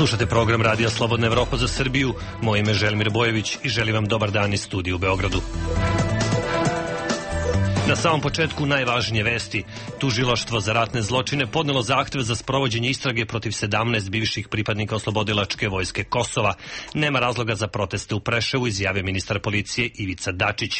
Slušate program Radija Slobodna Evropa za Srbiju. Moje ime je Želimir Bojević i želim vam dobar dan iz studija u Beogradu. Na samom početku najvažnije vesti. Tužilaštvo za ratne zločine podnelo zahtev za sprovođenje istrage protiv 17 bivših pripadnika oslobodilačke vojske Kosova. Nema razloga za proteste u Preševu, izjavio ministar policije Ivica Dačić.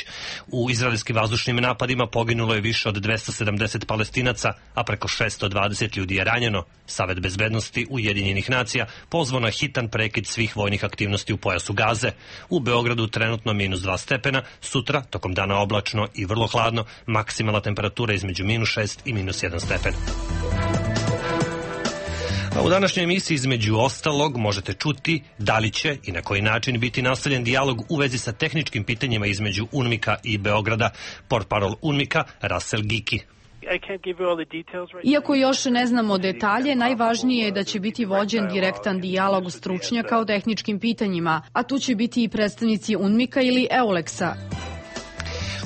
U izraelskim vazdušnim napadima poginulo je više od 270 Palestinaca, a preko 620 ljudi je ranjeno. Savet bezbednosti Ujedinjenih nacija pozvao na hitan prekid svih vojnih aktivnosti u pojasu Gaze. U Beogradu trenutno -2 stepena, sutra tokom dana oblačno i vrlo hladno, maksimalna temperatura između -6 i -1 stepen. A u današnjoj emisiji između ostalog možete čuti da li će i na koji način biti nastavljen dijalog u vezi sa tehničkim pitanjima između UNMIK-a i Beograda. Portparol UNMIK-a Russell Giki. Iako još ne znamo detalje, najvažnije je da će biti vođen direktan dijalog stručnjaka o tehničkim pitanjima, a tu će biti i predstavnici UNMIK-a ili EULEX-a.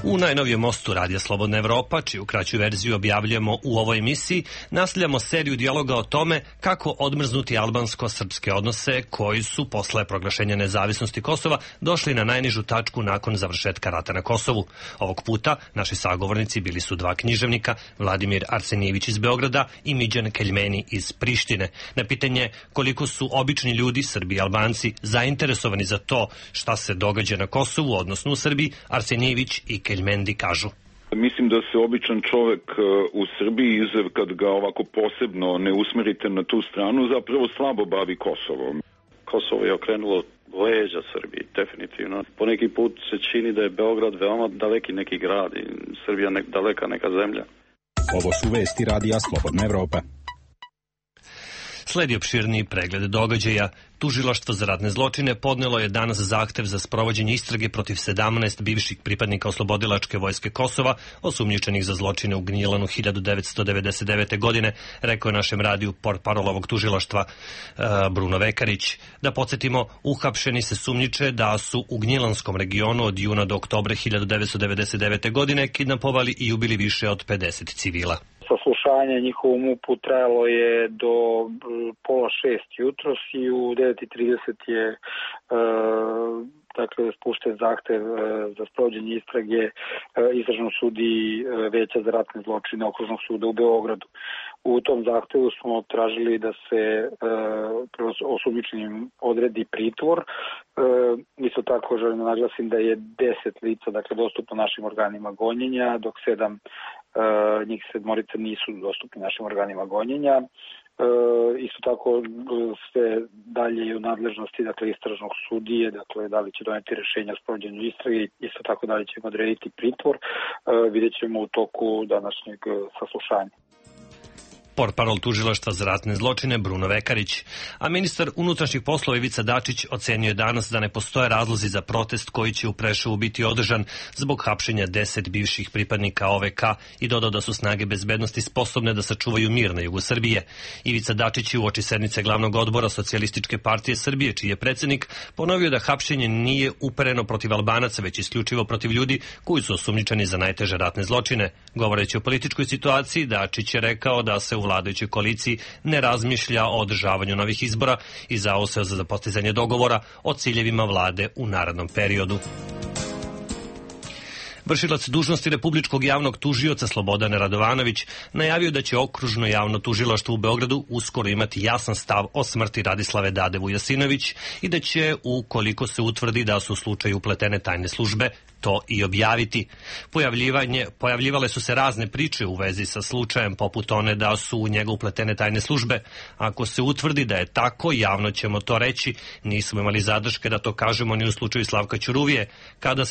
U najnovijem mostu Radija Slobodna Evropa, čiju kraću verziju objavljamo u ovoj emisiji, nastavljamo seriju dijaloga o tome kako odmrznuti albansko-srpske odnose koji su posle proglašenja nezavisnosti Kosova došli na najnižu tačku nakon završetka rata na Kosovu. Ovog puta naši sagovornici bili su dva književnika, Vladimir Arsenijević iz Beograda i Midjan Keljmeni iz Prištine. Na pitanje koliko su obični ljudi, Srbi i Albanci, zainteresovani za to šta se događa na Kosovu, odnosno u Srbiji, Arsenijević i Keljmendi kažu. Mislim da se običan čovek u Srbiji, kad ga ovako posebno ne usmerite na tu stranu, zapravo slabo bavi Kosovom. Kosovo je okrenulo leđa Srbiji, definitivno. Po neki put se čini da je Beograd veoma daleki neki grad i Srbija daleka neka zemlja. Ovo su vesti Radija Slobodna Evropa. Sledi opširniji pregled događaja. Tužilaštvo za ratne zločine podnelo je danas zahtev za sprovođenje istrage protiv 17 bivših pripadnika oslobodilačke vojske Kosova, osumnjičenih za zločine u Gnjilanu 1999. godine, rekao je našem radiju portparol ovog tužilaštva Bruno Vekarić. Da podsjetimo, uhapšeni se sumnjiče da su u Gnjilanskom regionu od juna do oktobra 1999. godine kidnapovali i ubili više od 50 civila. Saslušanje njihovom MUP-u trajalo je do 5:30 jutros i u 9:30 je spušten zahtev za sprovođenje istrage istražnom sudi Veća za ratne zločine Okružnog suda u Beogradu. U tom zahtevu smo tražili da se osumnjičenim odredi pritvor. Isto tako želim da naglasim da je 10 lica dostupno našim organima gonjenja, dok 7 nisu dostupni našim organima gonjenja. Isto tako sve dalje je u nadležnosti istražnog sudije, da li će doneti rješenja o sprovođenju istrage, isto tako da li ćemo odrediti pritvor, vidjet ćemo u toku današnjeg saslušanja. Portparol tužilaštva za ratne zločine Bruno Vekarić, a ministar unutrašnjih poslova Ivica Dačić ocenio je danas da ne postoje razlozi za protest koji će u Preševu biti održan zbog hapšenja 10 bivših pripadnika OVK i dodao da su snage bezbednosti sposobne da sačuvaju mir na jugu Srbije. Ivica Dačić je uoči sednice glavnog odbora Socijalističke partije Srbije, čiji je predsednik, ponovio da hapšenje nije upereno protiv Albanaca, već isključivo protiv ljudi koji su osumnjičeni za najteže ratne zločine. Govoreći o političkoj situaciji, Dačić je rekao da se u vladajućoj koaliciji ne razmišlja o održavanju novih izbora i zauzeo za postizanje dogovora o ciljevima vlade u narednom periodu. Vršilac dužnosti Republičkog javnog tužioca Slobodan Radovanović najavio da će Okružno javno tužilaštvo u Beogradu uskoro imati jasan stav o smrti Radislave Dade Vujasinović i da će, ukoliko se utvrdi da su u slučaju upletene tajne službe, to i objaviti. Pojavljivale su se razne priče u vezi sa slučajem, poput one da su u njega upletene tajne službe. Ako se utvrdi da je tako, javno ćemo to reći. Nismo imali zadrške da to kažemo ni u slučaju Slavka Ćuruvije, kada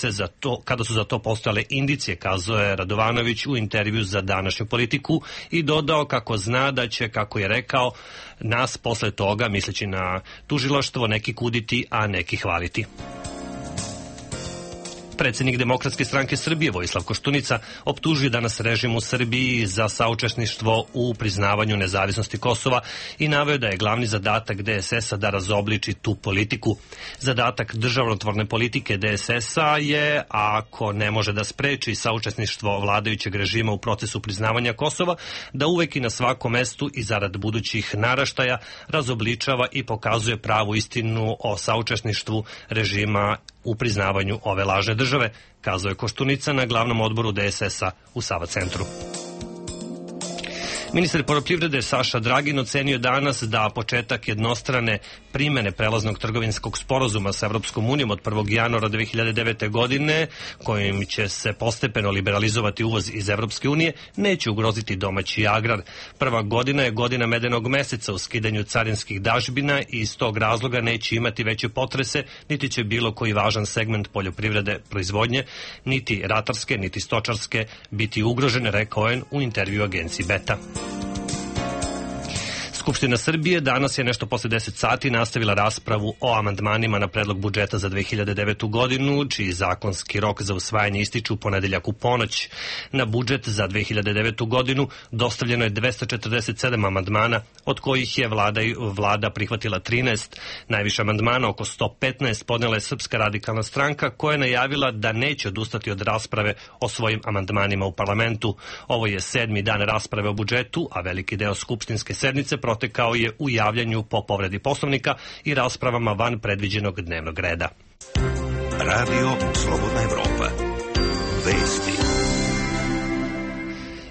su za to postojale indicije, kazao je Radovanović u intervju za Današnju Politiku i dodao kako zna da će, kako je rekao, nas posle toga, misleći na tužilaštvo, neki kuditi, a neki hvaliti. Predsednik Demokratske stranke Srbije Vojislav Koštunica optužuje danas režim u Srbiji za saučesništvo u priznavanju nezavisnosti Kosova i naveo da je glavni zadatak DSS-a da razobliči tu politiku. Zadatak državotvorne politike DSS-a je, ako ne može da spreči saučesništvo vladajućeg režima u procesu priznavanja Kosova, da uvek i na svakom mestu i zarad budućih naraštaja razobličava i pokazuje pravu istinu o saučesništvu režima u priznavanju ove lažne države, kazao je Koštunica na glavnom odboru DSS-a u Sava centru. Ministar poljoprivrede Saša Dragin ocenio danas da početak jednostrane primene prelaznog trgovinskog sporazuma sa Evropskom unijom od 1. januara 2009. godine, kojim će se postepeno liberalizovati uvoz iz Evropske unije, neće ugroziti domaći agrar. Prva godina je godina medenog meseca u skidanju carinskih dažbina i iz tog razloga neće imati veće potrese, niti će bilo koji važan segment poljoprivrede proizvodnje, niti ratarske, niti stočarske biti ugrožene, rekao je u intervju agenciji Beta. Skupština Srbije danas je nešto posle 10 sati nastavila raspravu o amandmanima na predlog budžeta za 2009. godinu, čiji zakonski rok za usvajanje ističe u ponedeljak u ponoć. Na budžet za 2009. godinu dostavljeno je 247 amandmana, od kojih je vlada prihvatila 13. Najviše amandmana, oko 115, podnela je Srpska radikalna stranka, koja je najavila da neće odustati od rasprave o svojim amandmanima u parlamentu. Ovo je 7. dan rasprave o budžetu, a veliki deo skupštinske sednice protekao je u javljanju po povredi Poslovnika i raspravama van predviđenog dnevnog reda. Radio Slobodna Evropa. Vesti.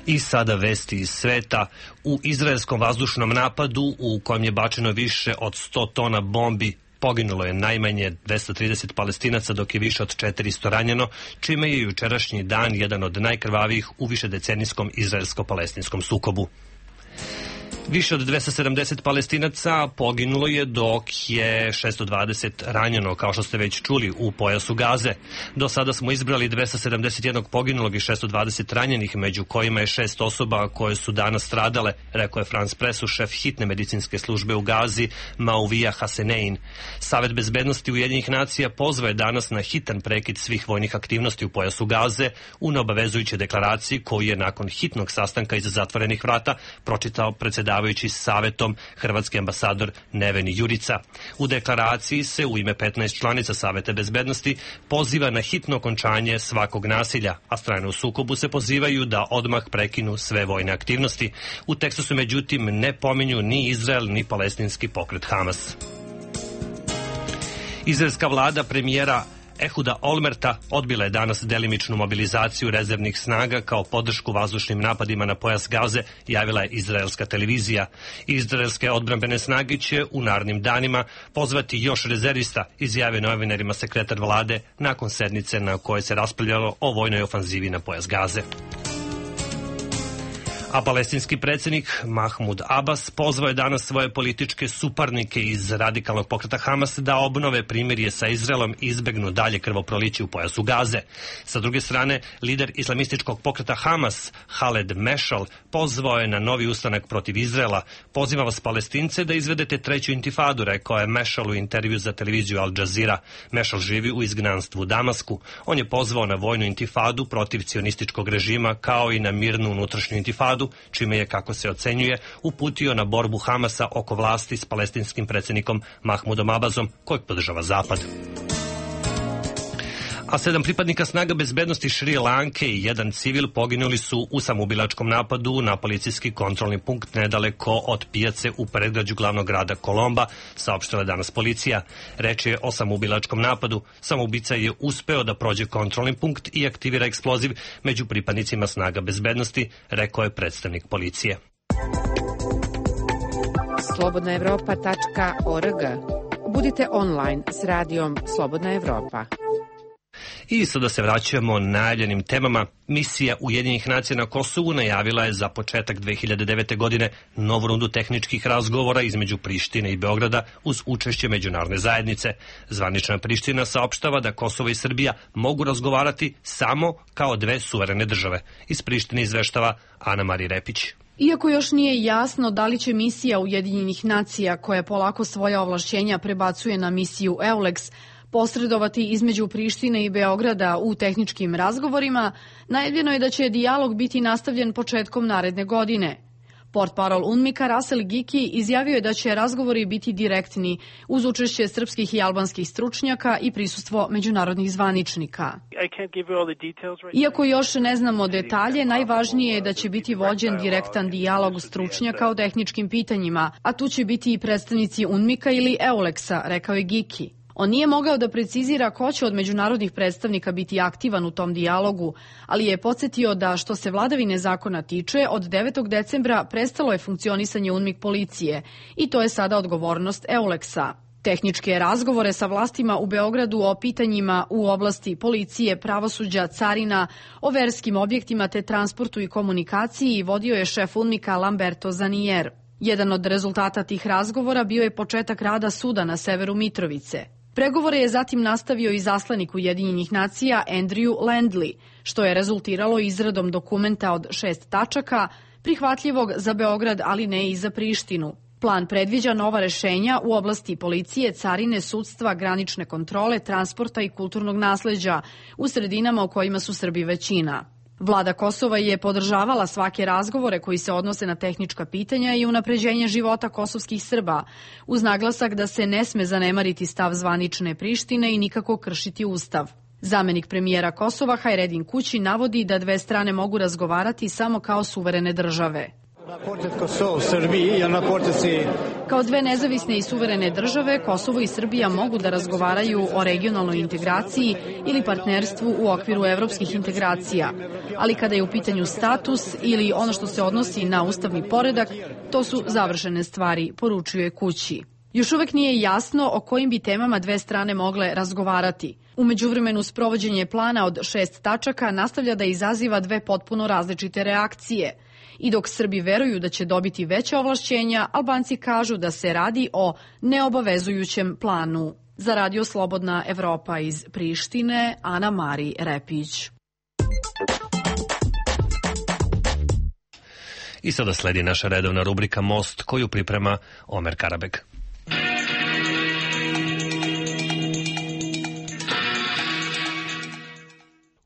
I sada vesti iz sveta. U izraelskom vazdušnom napadu, u kojem je bačeno više od 100 tona bombi, poginulo je najmanje 230 Palestinaca, dok je više od 400 ranjeno, čime je jučerašnji dan jedan od najkrvavijih u višedecenijskom izraelsko-palestinskom sukobu. Više od 270 Palestinaca poginulo je, dok je 620 ranjeno, kao što ste već čuli, u pojasu Gaze. Do sada smo izbrali 271 poginulog i 620 ranjenih, među kojima je 6 osoba koje su danas stradale, rekao je France Pressu šef hitne medicinske službe u Gazi, Mauvija Hasenein. Savet bezbednosti Ujedinjenih nacija pozvao je danas na hitan prekid svih vojnih aktivnosti u pojasu Gaze u neobavezujućoj deklaraciji koju je nakon hitnog sastanka iza zatvorenih vrata pročitao predsjedavajući savetom hrvatski ambasador Neveni Jurica. U deklaraciji se u ime 15 članica Saveta bezbednosti poziva na hitno okončanje svakog nasilja, a strane u sukobu se pozivaju da odmah prekinu sve vojne aktivnosti. U tekstu se međutim ne pominju ni Izrael ni palestinski pokret Hamas. Izraelska vlada premijera Ehuda Olmerta odbila je danas delimičnu mobilizaciju rezervnih snaga kao podršku vazdušnim napadima na pojas Gaze, javila je izraelska televizija. Izraelske odbrambene snage će u narednim danima pozvati još rezervista, izjavio novinarima sekretar vlade nakon sednice na kojoj se raspravljalo o vojnoj ofanzivi na pojas Gaze. A palestinski predsjednik Mahmud Abbas pozvao je danas svoje političke suparnike iz radikalnog pokreta Hamas da obnove primirje sa Izraelom i izbegnu dalje krvoproliće u pojasu Gaze. Sa druge strane, lider islamističkog pokreta Hamas, Khaled Meshal, pozvao je na novi ustanak protiv Izraela. Poziva vas Palestince da izvedete treću intifadu, rekao je Meshal u intervju za televiziju Al Jazeera. Meshal živi u izgnanstvu u Damasku. On je pozvao na vojnu intifadu protiv cionističkog režima, kao i na mirnu unutrašnju intifadu, čime je, kako se ocenjuje, uputio na borbu Hamasa oko vlasti s palestinskim predsjednikom Mahmudom Abbasom, kojeg podržava Zapad. A 7 pripadnika snaga bezbednosti Šri Lanke i jedan civil poginuli su u samoubilačkom napadu na policijski kontrolni punkt nedaleko od pijace u predgrađu glavnog grada Kolomba, saopštila danas policija. Reč je o samoubilačkom napadu. Samoubica je uspeo da prođe kontrolni punkt i aktivira eksploziv među pripadnicima snaga bezbednosti, rekao je predstavnik policije. slobodnaevropa.org. Budite online s radijom Slobodna Evropa. I sada se vraćamo najavljenim temama. Misija Ujedinjenih nacija na Kosovu najavila je za početak 2009. godine novu rundu tehničkih razgovora između Prištine i Beograda uz učešće međunarodne zajednice. Zvanična Priština saopštava da Kosovo i Srbija mogu razgovarati samo kao dve suverene države. Iz Prištine izveštava Ana Marija Repić. Iako još nije jasno da li će misija Ujedinjenih nacija, koja polako svoja ovlašćenja prebacuje na misiju EULEX, posredovati između Prištine i Beograda u tehničkim razgovorima, najavljeno je da će dijalog biti nastavljen početkom naredne godine. Portparol UNMIK-a Rasel Giki izjavio je da će razgovori biti direktni uz učešće srpskih i albanskih stručnjaka i prisustvo međunarodnih zvaničnika. Iako još ne znamo detalje, najvažnije je da će biti vođen direktan dijalog stručnjaka o tehničkim pitanjima, a tu će biti i predstavnici UNMIK-a ili EULEX-a, rekao je Giki. On nije mogao da precizira ko će od međunarodnih predstavnika biti aktivan u tom dijalogu, ali je podsjetio da što se vladavine zakona tiče, od 9. decembra prestalo je funkcionisanje UNMIK policije i to je sada odgovornost EULEX-a. Tehničke razgovore sa vlastima u Beogradu o pitanjima u oblasti policije, pravosuđa, carina, o verskim objektima te transportu i komunikaciji vodio je šef UNMIK-a Lamberto Zanier. Jedan od rezultata tih razgovora bio je početak rada suda na severu Mitrovice. Pregovore je zatim nastavio i zaslanik Ujedinjenih nacija Andrew Landley, što je rezultiralo izradom dokumenta od 6 tačaka, prihvatljivog za Beograd, ali ne i za Prištinu. Plan predviđa nova rešenja u oblasti policije, carine, sudstva, granične kontrole, transporta i kulturnog nasleđa u sredinama u kojima su Srbi većina. Vlada Kosova je podržavala svake razgovore koji se odnose na tehnička pitanja i unapređenje života kosovskih Srba, uz naglasak da se ne sme zanemariti stav zvanične Prištine i nikako kršiti ustav. Zamenik premijera Kosova Hajredin Kući navodi da dve strane mogu razgovarati samo kao suverene države. Kao dve nezavisne i suverene države, Kosovo i Srbija mogu da razgovaraju o regionalnoj integraciji ili partnerstvu u okviru evropskih integracija. Ali kada je u pitanju status ili ono što se odnosi na ustavni poredak, to su završene stvari, poručuje Kući. Još uvek nije jasno o kojim bi temama dve strane mogle razgovarati. U međuvremenu sprovođenje plana od 6 tačaka nastavlja da izaziva dve potpuno različite reakcije. I dok Srbi veruju da će dobiti veća ovlašćenja, Albanci kažu da se radi o neobavezujućem planu. Za Radio Slobodna Evropa iz Prištine, Ana Mari Repić. I sada sledi naša redovna rubrika Most, koju priprema Omer Karabek.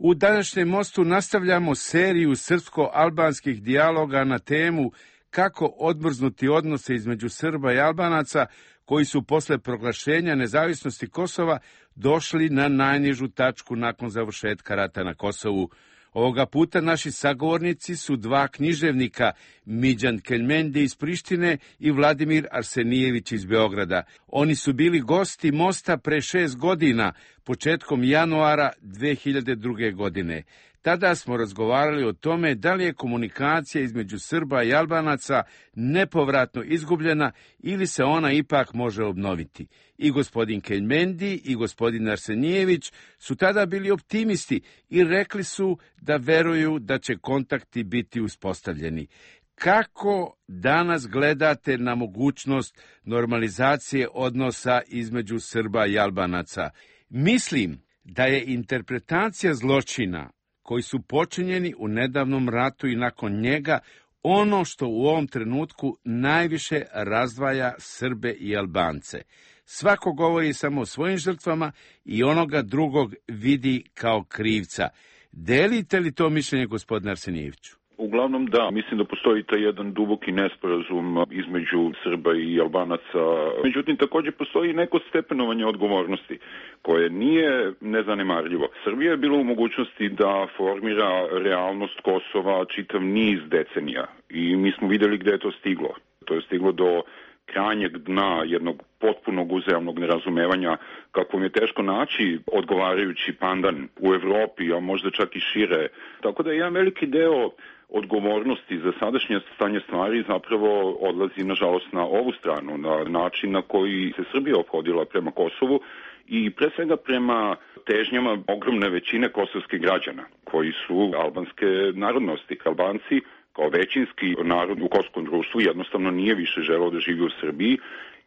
U današnjem Mostu nastavljamo seriju srpsko-albanskih dijaloga na temu kako odmrznuti odnose između Srba i Albanaca koji su posle proglašenja nezavisnosti Kosova došli na najnižu tačku nakon završetka rata na Kosovu. Ovoga puta naši sagovornici su dva književnika, Midjan Keljmendi iz Prištine i Vladimir Arsenijević iz Beograda. Oni su bili gosti Mosta pre 6 godina, početkom januara 2002. godine. Tada smo razgovarali o tome da li je komunikacija između Srba i Albanaca nepovratno izgubljena ili se ona ipak može obnoviti. I gospodin Keljmendi i gospodin Arsenijević su tada bili optimisti i rekli su da veruju da će kontakti biti uspostavljeni. Kako danas gledate na mogućnost normalizacije odnosa između Srba i Albanaca? Mislim da je interpretacija zločina koji su počinjeni u nedavnom ratu i nakon njega ono što u ovom trenutku najviše razdvaja Srbe i Albance. Svako govori samo o svojim žrtvama i onoga drugog vidi kao krivca. Delite li to mišljenje, gospodine Arsenijeviću? Uglavnom da, mislim da postoji taj jedan duboki nesporazum između Srba i Albanaca. Međutim, također postoji neko stepenovanje odgovornosti koje nije nezanemarljivo. Srbija je bila u mogućnosti da formira realnost Kosova čitav niz decenija i mi smo vidjeli gde je to stiglo. To je stiglo do krajnjeg dna jednog potpunog uzajamnog nerazumevanja kakvom je teško naći odgovarajući pandan u Evropi, a možda čak i šire. Tako da jedan veliki deo odgovornosti za sadašnje stanje stvari zapravo odlazi, nažalost, na ovu stranu, na način na koji se Srbija ophodila prema Kosovu i pre svega prema težnjama ogromne većine kosovskih građana, koji su albanske narodnosti. Albanci kao većinski narod u kosovskom društvu jednostavno nije više želeo da živi u Srbiji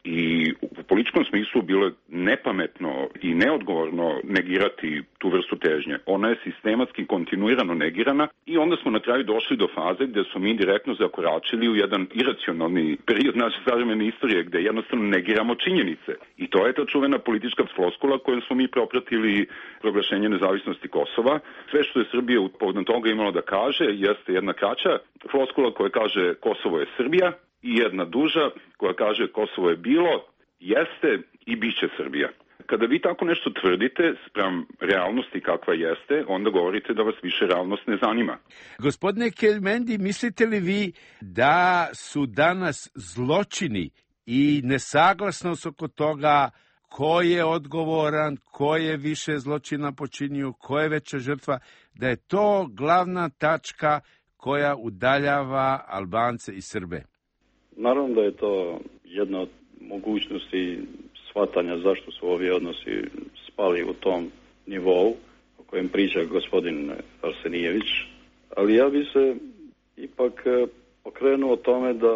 I u političkom smislu bilo je nepametno i neodgovorno negirati tu vrstu težnje. Ona je sistematski kontinuirano negirana i onda smo na kraju došli do faze gde smo mi direktno zakoračili u jedan iracionalni period naše savremene istorije gde jednostavno negiramo činjenice. I to je ta čuvena politička floskula kojom smo mi propratili proglašenje nezavisnosti Kosova. Sve što je Srbija povodom toga imala da kaže jeste jedna kraća floskula koja kaže Kosovo je Srbija i jedna duža koja kaže Kosovo je bilo, jeste i bit će Srbija. Kada vi tako nešto tvrdite spram realnosti kakva jeste, onda govorite da vas više realnost ne zanima. Gospodine Kelmendi, mislite li vi da su danas zločini i nesaglasnost oko toga ko je odgovoran, ko je više zločina počinio, ko je veća žrtva, da je to glavna tačka koja udaljava Albance i Srbe? Naravno da je to jedna od mogućnosti shvatanja zašto su ovi odnosi spali u tom nivou o kojem priča gospodin Arsenijević, ali ja bi se ipak okrenuo tome da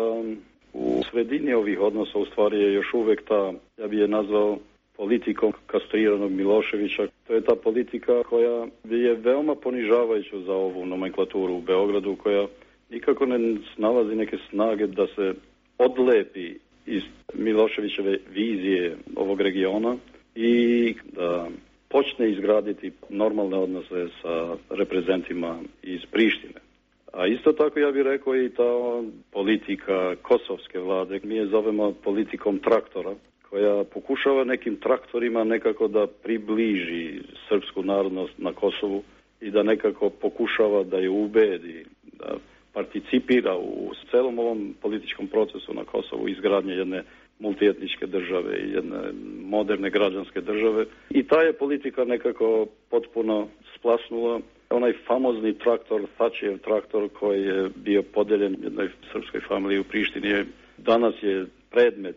u sredini ovih odnosa u stvari je još uvek ta, ja bi je nazvao politikom kastriranog Miloševića. To je ta politika koja je veoma ponižavajuća za ovu nomenklaturu u Beogradu, koja nikako ne nalazi neke snage da se odlepi iz Miloševićeve vizije ovog regiona i da počne izgraditi normalne odnose sa reprezentima iz Prištine. A isto tako ja bih rekao i ta politika kosovske vlade, mi je zovemo politikom traktora, koja pokušava nekim traktorima nekako da približi srpsku narodnost na Kosovu i da nekako pokušava da je ubedi, da participira u celom ovom političkom procesu na Kosovu, izgradnje jedne multietničke države i jedne moderne građanske države. I ta je politika nekako potpuno splasnula. Onaj famozni traktor, Thatcherjev traktor koji je bio podeljen jednoj srpskoj familiji u Prištini, danas je predmet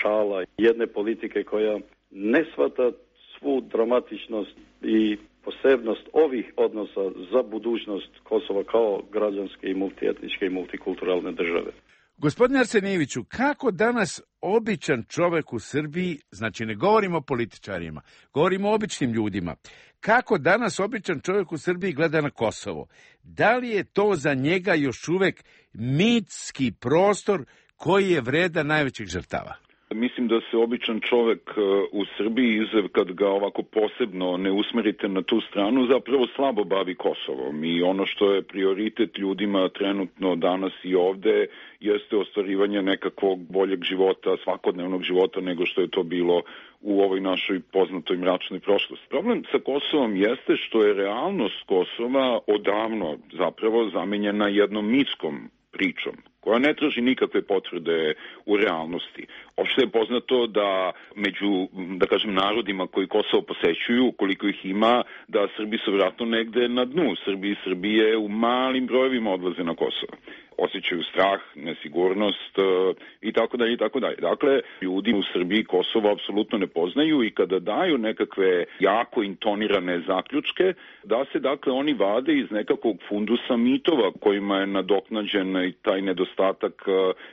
šala jedne politike koja ne shvata svu dramatičnost i posebnost ovih odnosa za budućnost Kosova kao građanske i multietničke i multikulturalne države. Gospodine Arsenijeviću, kako danas običan čovek u Srbiji, znači ne govorimo o političarima, govorimo o običnim ljudima, kako danas običan čovek u Srbiji gleda na Kosovo? Da li je to za njega još uvek mitski prostor koji je vredan najvećih žrtava? Mislim da se običan čovek u Srbiji, kad ga ovako posebno ne usmerite na tu stranu, zapravo slabo bavi Kosovom. I ono što je prioritet ljudima trenutno danas i ovde jeste ostvarivanje nekakvog boljeg života, svakodnevnog života nego što je to bilo u ovoj našoj poznatoj mračnoj prošlosti. Problem sa Kosovom jeste što je realnost Kosova odavno zapravo zamenjena jednom mitskom pričom, koja ne traži nikakve potvrde u realnosti. Opšte je poznato da među, da kažem, narodima koji Kosovo posećuju, koliko ih ima, da Srbi su vjerojatno negde na dnu. Srbi i Srbije u malim brojevima odlaze na Kosovo. Osjećaju strah, nesigurnost i tako dalje i tako dalje. Dakle, ljudi u Srbiji Kosovo apsolutno ne poznaju i kada daju nekakve jako intonirane zaključke, da se dakle oni vade iz nekakvog fundusa mitova kojima je nadoknađen i taj nedostatak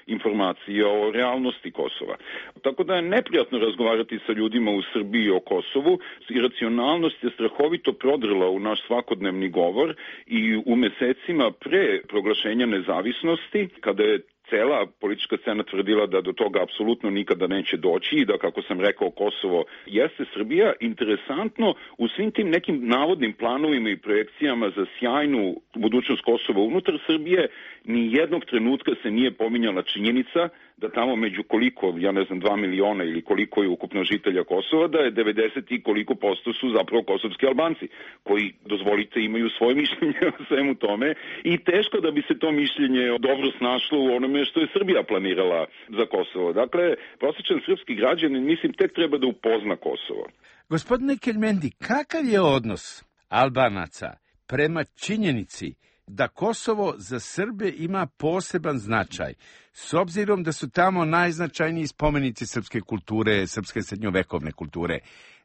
informacija o realnosti Kosova. Tako da je neprijatno razgovarati sa ljudima u Srbiji o Kosovu. Iracionalnost je strahovito prodrla u naš svakodnevni govor i u mesecima pre proglašenja nezavisnosti, kada je cela politička scena tvrdila da do toga apsolutno nikada neće doći i da, kako sam rekao, Kosovo jeste Srbija. Interesantno, u svim tim nekim navodnim planovima i projekcijama za sjajnu budućnost Kosova unutar Srbije, ni jednog trenutka se nije pominjala činjenica da tamo među koliko, ja ne znam, 2 miliona ili koliko je ukupno žitelja Kosova, da je 90 i koliko posto su zapravo kosovski Albanci, koji, dozvolite, imaju svoje mišljenje o svemu tome i teško da bi se to mišljenje dobro snašlo u onome što je Srbija planirala za Kosovo. Dakle, prosječan srpski građanin, mislim, tek treba da upozna Kosovo. Gospodine Kelmendi, kakav je odnos Albanaca prema činjenici da Kosovo za Srbe ima poseban značaj, s obzirom da su tamo najznačajniji spomenici srpske kulture, srpske srednjovekovne kulture?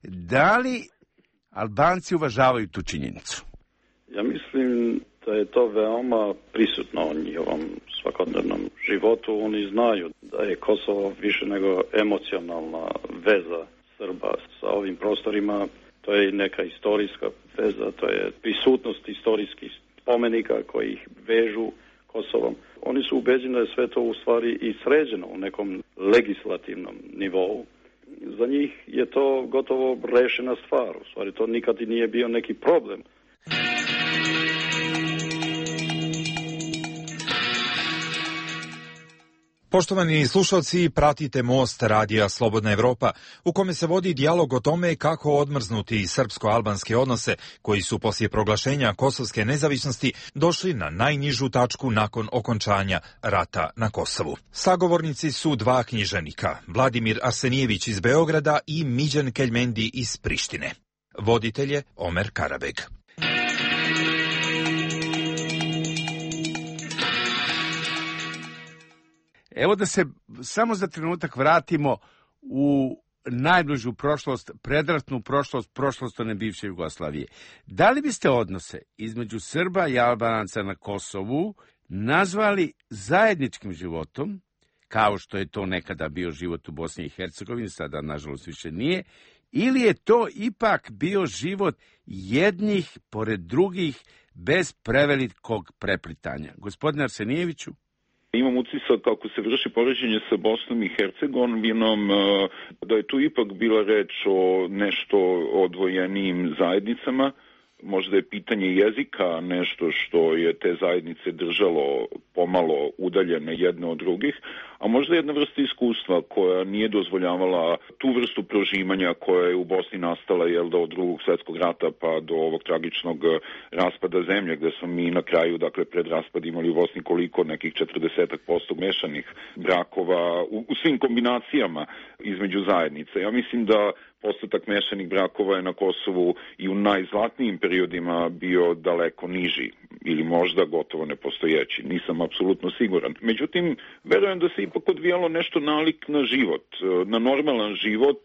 Da li Albanci uvažavaju tu činjenicu? Ja mislim da je to veoma prisutno u njihovom svakodnevnom životu. Oni znaju da je Kosovo više nego emocionalna veza Srba sa ovim prostorima. To je neka istorijska veza, to je prisutnost istorijskih spomenika koji ih vežu Kosovom. Oni su ubeđeni da je sve to u stvari i sređeno u nekom legislativnom nivou. Za njih je to gotovo rešena stvar. U stvari to nikad i nije bio neki problem. Poštovani slušalci, pratite Most radija Slobodna Evropa, u kome se vodi dijalog o tome kako odmrznuti srpsko-albanske odnose, koji su poslije proglašenja kosovske nezavisnosti došli na najnižu tačku nakon okončanja rata na Kosovu. Sagovornici su dva književnika, Vladimir Arsenijević iz Beograda i Miđan Keljmendi iz Prištine. Voditelj je Omer Karabeg. Evo da se samo za trenutak vratimo u najbližu prošlost, predratnu prošlost one bivše Jugoslavije. Da li biste odnose između Srba i Albanaca na Kosovu nazvali zajedničkim životom, kao što je to nekada bio život u Bosni i Hercegovini, sada nažalost više nije, ili je to ipak bio život jednih pored drugih bez prevelikog preplitanja? Gospodine Arsenijeviću? Imam utisak kako se vrši poređenje sa Bosnom i Hercegovinom, da je tu ipak bila reč o nešto odvojenijim zajednicama. Možda je pitanje jezika nešto što je te zajednice držalo pomalo udaljene jedne od drugih, a možda jedna vrsta iskustva koja nije dozvoljavala tu vrstu prožimanja koja je u Bosni nastala od Drugog svjetskog rata pa do ovog tragičnog raspada zemlje, gde smo mi na kraju, dakle pred raspad imali u Bosni koliko, nekih 40% mešanih brakova u svim kombinacijama između zajednice. Ja mislim da postotak mešanih brakova je na Kosovu i u najzlatnijim periodima bio daleko niži ili možda gotovo nepostojeći. Nisam apsolutno siguran. Međutim, verujem da se ipak odvijalo nešto nalik na život, na normalan život,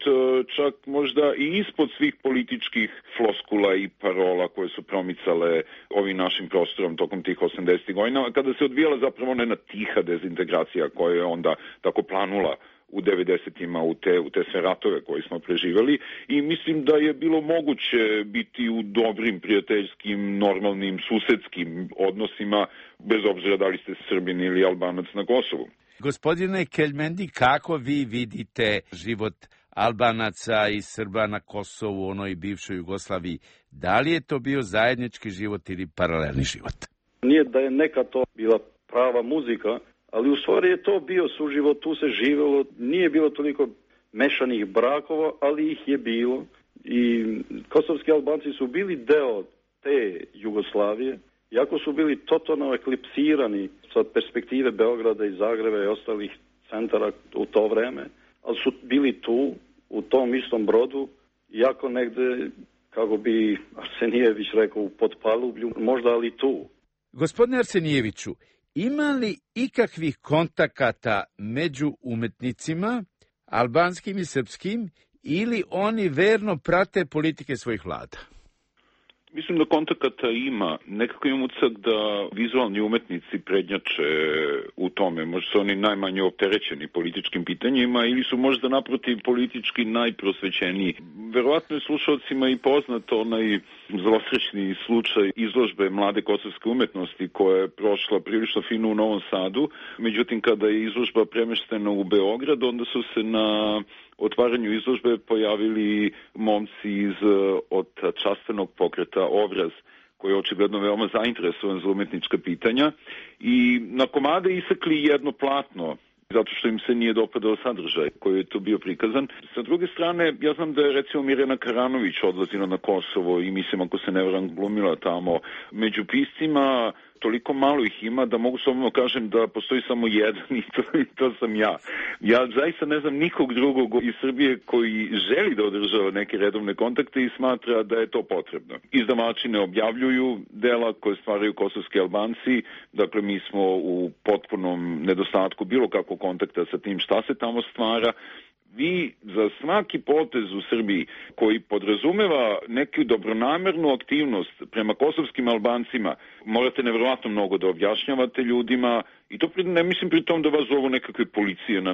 čak možda i ispod svih političkih floskula i parola koje su promicale ovim našim prostorom tokom tih 80. godina, kada se odvijala zapravo ona tiha dezintegracija koja je onda tako planula u 90-ima u te sve ratove koje smo preživjeli i mislim da je bilo moguće biti u dobrim, prijateljskim, normalnim, susedskim odnosima, bez obzira da li ste Srbin ili Albanac na Kosovu. Gospodine Keljmendi, kako vi vidite život Albanaca i Srba na Kosovu, u onoj bivšoj Jugoslaviji? Da li je to bio zajednički život ili paralelni život? Nije da je neka to bila prava muzika, ali u stvari je to bio suživot, tu se živjelo, nije bilo toliko mešanih brakova, ali ih je bilo. I kosovski Albanci su bili deo te Jugoslavije, iako su bili totalno eklipsirani sa perspektive Beograda i Zagreba i ostalih centara u to vreme, ali su bili tu, u tom istom brodu, iako negde, kako bi Arsenijević rekao, u potpalublju, možda ali tu. Gospodine Arsenijeviću, ima li ikakvih kontakata među umetnicima, albanskim i srpskim, ili oni verno prate politike svojih vlada? Mislim da kontakata ima. Nekako imam utisak da vizualni umetnici prednjače u tome. Možda su oni najmanje opterećeni političkim pitanjima ili su možda naprotiv politički najprosvećeniji. Verovatno je slušalcima i poznato onaj zlosrećni slučaj izložbe mlade kosovske umetnosti koja je prošla prilično fino u Novom Sadu. Međutim, kada je izložba premeštena u Beograd, onda su se na otvaranju izložbe pojavili momci od častvenog pokreta Obraz, koji je očigledno veoma zainteresovan za umetnička pitanja i na komade isekli jedno platno, zato što im se nije dopadao sadržaj koji je tu bio prikazan. Sa druge strane, ja znam da je recimo Mirjana Karanović odlazila na Kosovo i mislim, ako se ne varam, glumila tamo. Među piscima toliko malo ih ima da mogu slobodno kažem da postoji samo jedan i to sam ja. Ja zaista ne znam nikog drugog iz Srbije koji želi da održava neke redovne kontakte i smatra da je to potrebno. Izdavači ne objavljuju dela koje stvaraju kosovski Albanci, dakle mi smo u potpunom nedostatku bilo kakvog kontakta sa tim šta se tamo stvara. vi za svaki potez u Srbiji koji podrazumeva neku dobronamernu aktivnost prema kosovskim Albancima, morate nevjerovatno mnogo da objašnjavate ljudima i to ne mislim pri tom da vas zovu nekakve policije na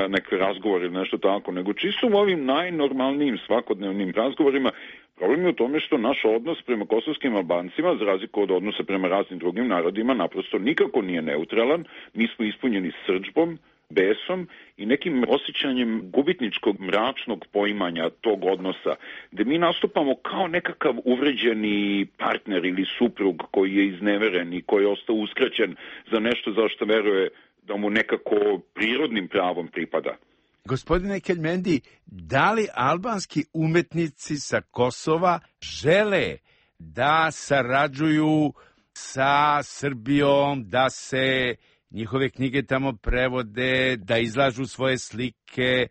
neke razgovore ili nešto tako, nego čisto u ovim najnormalnijim svakodnevnim razgovorima. Problem je u tome što naš odnos prema kosovskim Albancima, za razliku od odnosa prema raznim drugim narodima, naprosto nikako nije neutralan. Mi smo ispunjeni srdžbom, besom i nekim osjećanjem gubitničkog mračnog poimanja tog odnosa, gde mi nastupamo kao nekakav uvređeni partner ili suprug koji je izneveren i koji je ostao uskraćen za nešto za što veruje da mu nekako prirodnim pravom pripada. Gospodine Keljmendi, da li albanski umetnici sa Kosova žele da sarađuju sa Srbijom, da se njihove knjige tamo prevode, da izlažu svoje slike,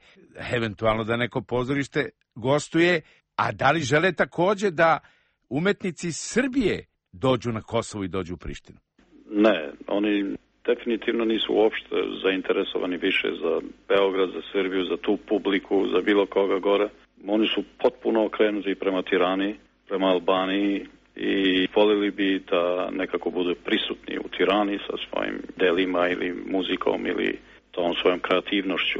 eventualno da neko pozorište gostuje, a da li žele takođe da umetnici Srbije dođu na Kosovo i dođu u Prištinu? Ne, oni definitivno nisu uopšte zainteresovani više za Beograd, za Srbiju, za tu publiku, za bilo koga gore. Oni su potpuno okrenuti prema Tirani, prema Albaniji i voljeli bi da nekako budu prisutni u Tirani sa svojim delima ili muzikom ili tom svojom kreativnošću.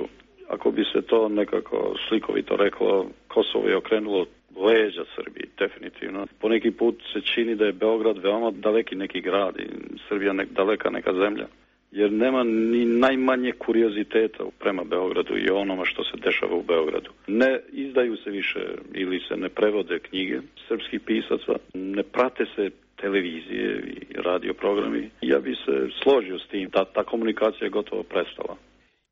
Ako bi se to nekako slikovito reklo, Kosovo je okrenulo leđa Srbiji, definitivno. Po neki put se čini da je Beograd veoma daleki neki grad i Srbija daleka neka zemlja, jer nema ni najmanje kurioziteta prema Beogradu i onoma što se dešava u Beogradu. Ne izdaju se više ili se ne prevode knjige srpskih pisaca, ne prate se televizije i radio programi. Ja bi se složio s tim da ta komunikacija je gotovo prestala.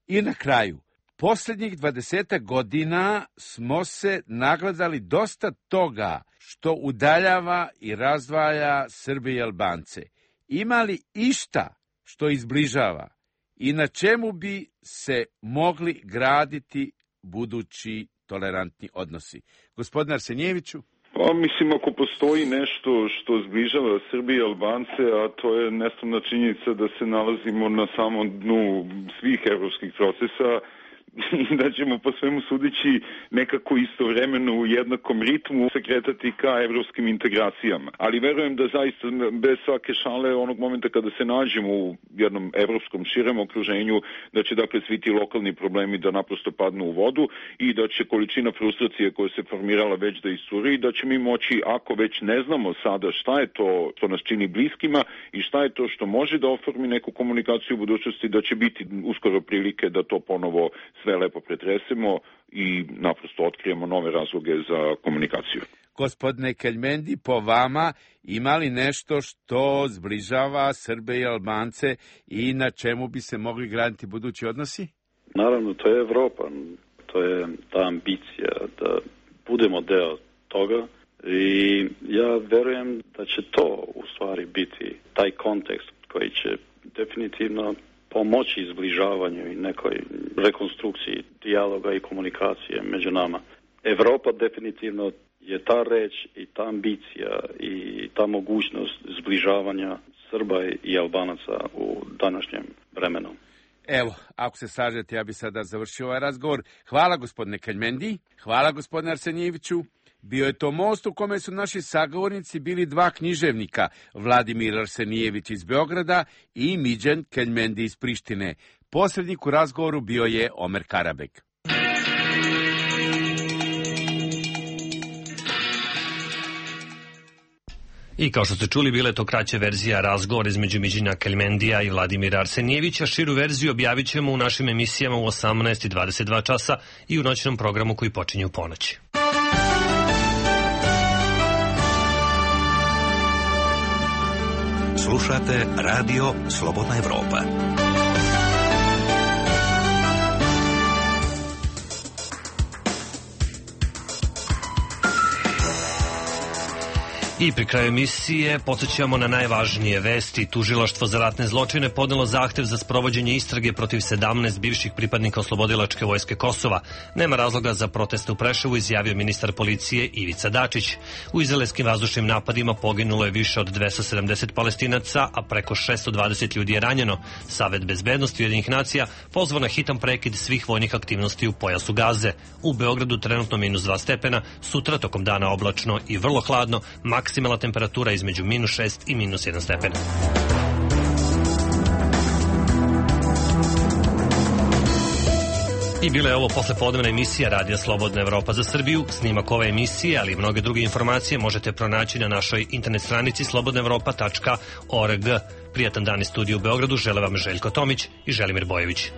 I na kraju, posljednjih 20 godina smo se nagledali dosta toga što udaljava i razdvaja Srbe i Albance. Ima li išta što izbližava i na čemu bi se mogli graditi budući tolerantni odnosi? Gospodine Arsenijeviću? Pa mislim, ako postoji nešto što zbližava Srbije i Albance, a to je nesumnja činjenica da se nalazimo na samom dnu svih evropskih procesa, da ćemo po svemu sudeći nekako istovremeno u jednakom ritmu se kretati ka evropskim integracijama. Ali verujem da zaista bez svake šale onog momenta kada se nađemo u jednom evropskom širem okruženju, da će dakle svi ti lokalni problemi da naprosto padnu u vodu i da će količina frustracije koja se formirala već da iscuri i da će mi moći, ako već ne znamo sada šta je to što nas čini bliskima i šta je to što može da oformi neku komunikaciju u budućnosti, da će biti uskoro prilike da to ponovo sve lepo pretresemo i naprosto otkrijemo nove razloge za komunikaciju. Gospodine Keljmendi, po vama ima li nešto što zbližava Srbe i Albance i na čemu bi se mogli graditi budući odnosi? Naravno, to je Evropa. To je ta ambicija da budemo deo toga i ja verujem da će to u stvari biti taj kontekst koji će definitivno pomoći izbližavanju i nekoj rekonstrukciji dijaloga i komunikacije među nama. Evropa definitivno je ta reč i ta ambicija i ta mogućnost zbližavanja Srba i Albanaca u današnjem vremenu. Evo, ako se slažete, ja bi sada završio ovaj razgovor. Hvala gospodine Keljmendi, hvala gospodine Arsenijeviću. Bio je to most u kome su naši sagovornici bili dva književnika, Vladimir Arsenijević iz Beograda i Midjan Keljmendi iz Prištine. Posrednik u razgovoru bio je Omer Karabek. I kao što ste čuli, bila je to kraća verzija razgovora između Midjana Keljmendija i Vladimira Arsenijevića. Širu verziju objavit ćemo u našim emisijama u 18:22 časa i u noćnom programu koji počinje u ponoći. Slušate Radio Slobodna Evropa. I pri kraju emisije podsjećamo na najvažnije vesti. Tužilaštvo za ratne zločine podnelo zahtev za sprovođenje istrage protiv 17 bivših pripadnika Oslobodilačke vojske Kosova. Nema razloga za proteste u Preševu, izjavio ministar policije Ivica Dačić. U izraelskim vazdušnim napadima poginulo je više od 270 Palestinaca, a preko 620 ljudi je ranjeno. Savet bezbednosti Ujedinjenih nacija pozvao na hitan prekid svih vojnih aktivnosti u pojasu Gaze. U Beogradu trenutno -2 stepena, sutra tokom dana oblačno i vrlo hladno, maksimalna temperatura između -6 i -1 stepen. I bila je ovo poslepodnevna emisija Radija Slobodna Evropa za Srbiju. Snimak ove emisije, ali i mnoge druge informacije možete pronaći na našoj internet stranici slobodnaevropa.org. Prijatan dan iz studija u Beogradu žele vam Željko Tomić i Želimir Bojević.